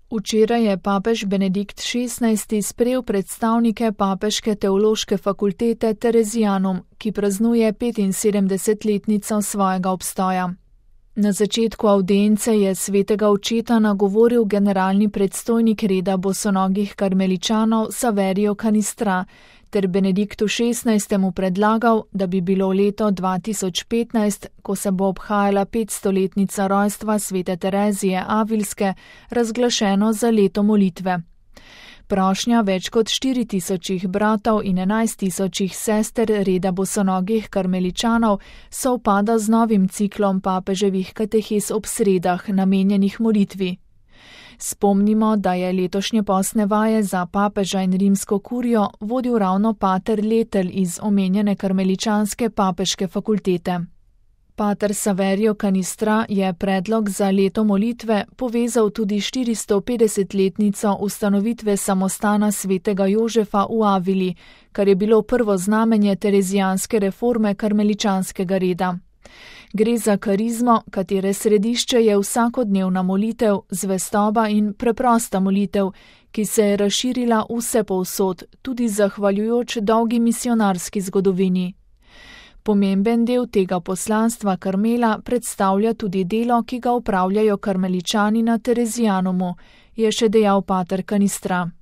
Včeraj je papež Benedikt XVI. Sprejel predstavnike Papeške teološke fakultete Terezijanum, ki praznuje 75-letnico svojega obstoja. Na začetku avdience je svetega očeta nagovoril generalni predstojnik reda bosonogih karmeličanov Saverio Canistra ter Benediktu XVI. Predlagal, da bi bilo leto 2015, ko se bo obhajala 500-letnica rojstva svete Terezije Avilske, razglašeno za leto molitve. Prošnja več kot 4000 bratov in 11 000 sester reda bosonogih karmeličanov sovpada z novim ciklom papeževih katehes ob sredah, namenjenih molitvi. Spomnimo, da je letošnje postne vaje za papeža in rimsko kurijo vodil ravno pater Letelj iz omenjene karmeličanske papeške fakultete. Pater Saverio Canistra je predlog za leto molitve povezal tudi 450-letnico ustanovitve samostana svetega Jožefa v Avili, kar je bilo prvo znamenje terezijanske reforme karmeličanskega reda. Gre za karizmo, katere središče je vsakodnevna molitev, zvestoba in preprosta molitev, ki se je razširila vse povsod, tudi zahvaljujoč dolgi misionarski zgodovini. Pomemben del tega poslanstva Karmela predstavlja tudi delo, ki ga opravljajo karmeličani na Terezijanumu, je še dejal pater Canistra.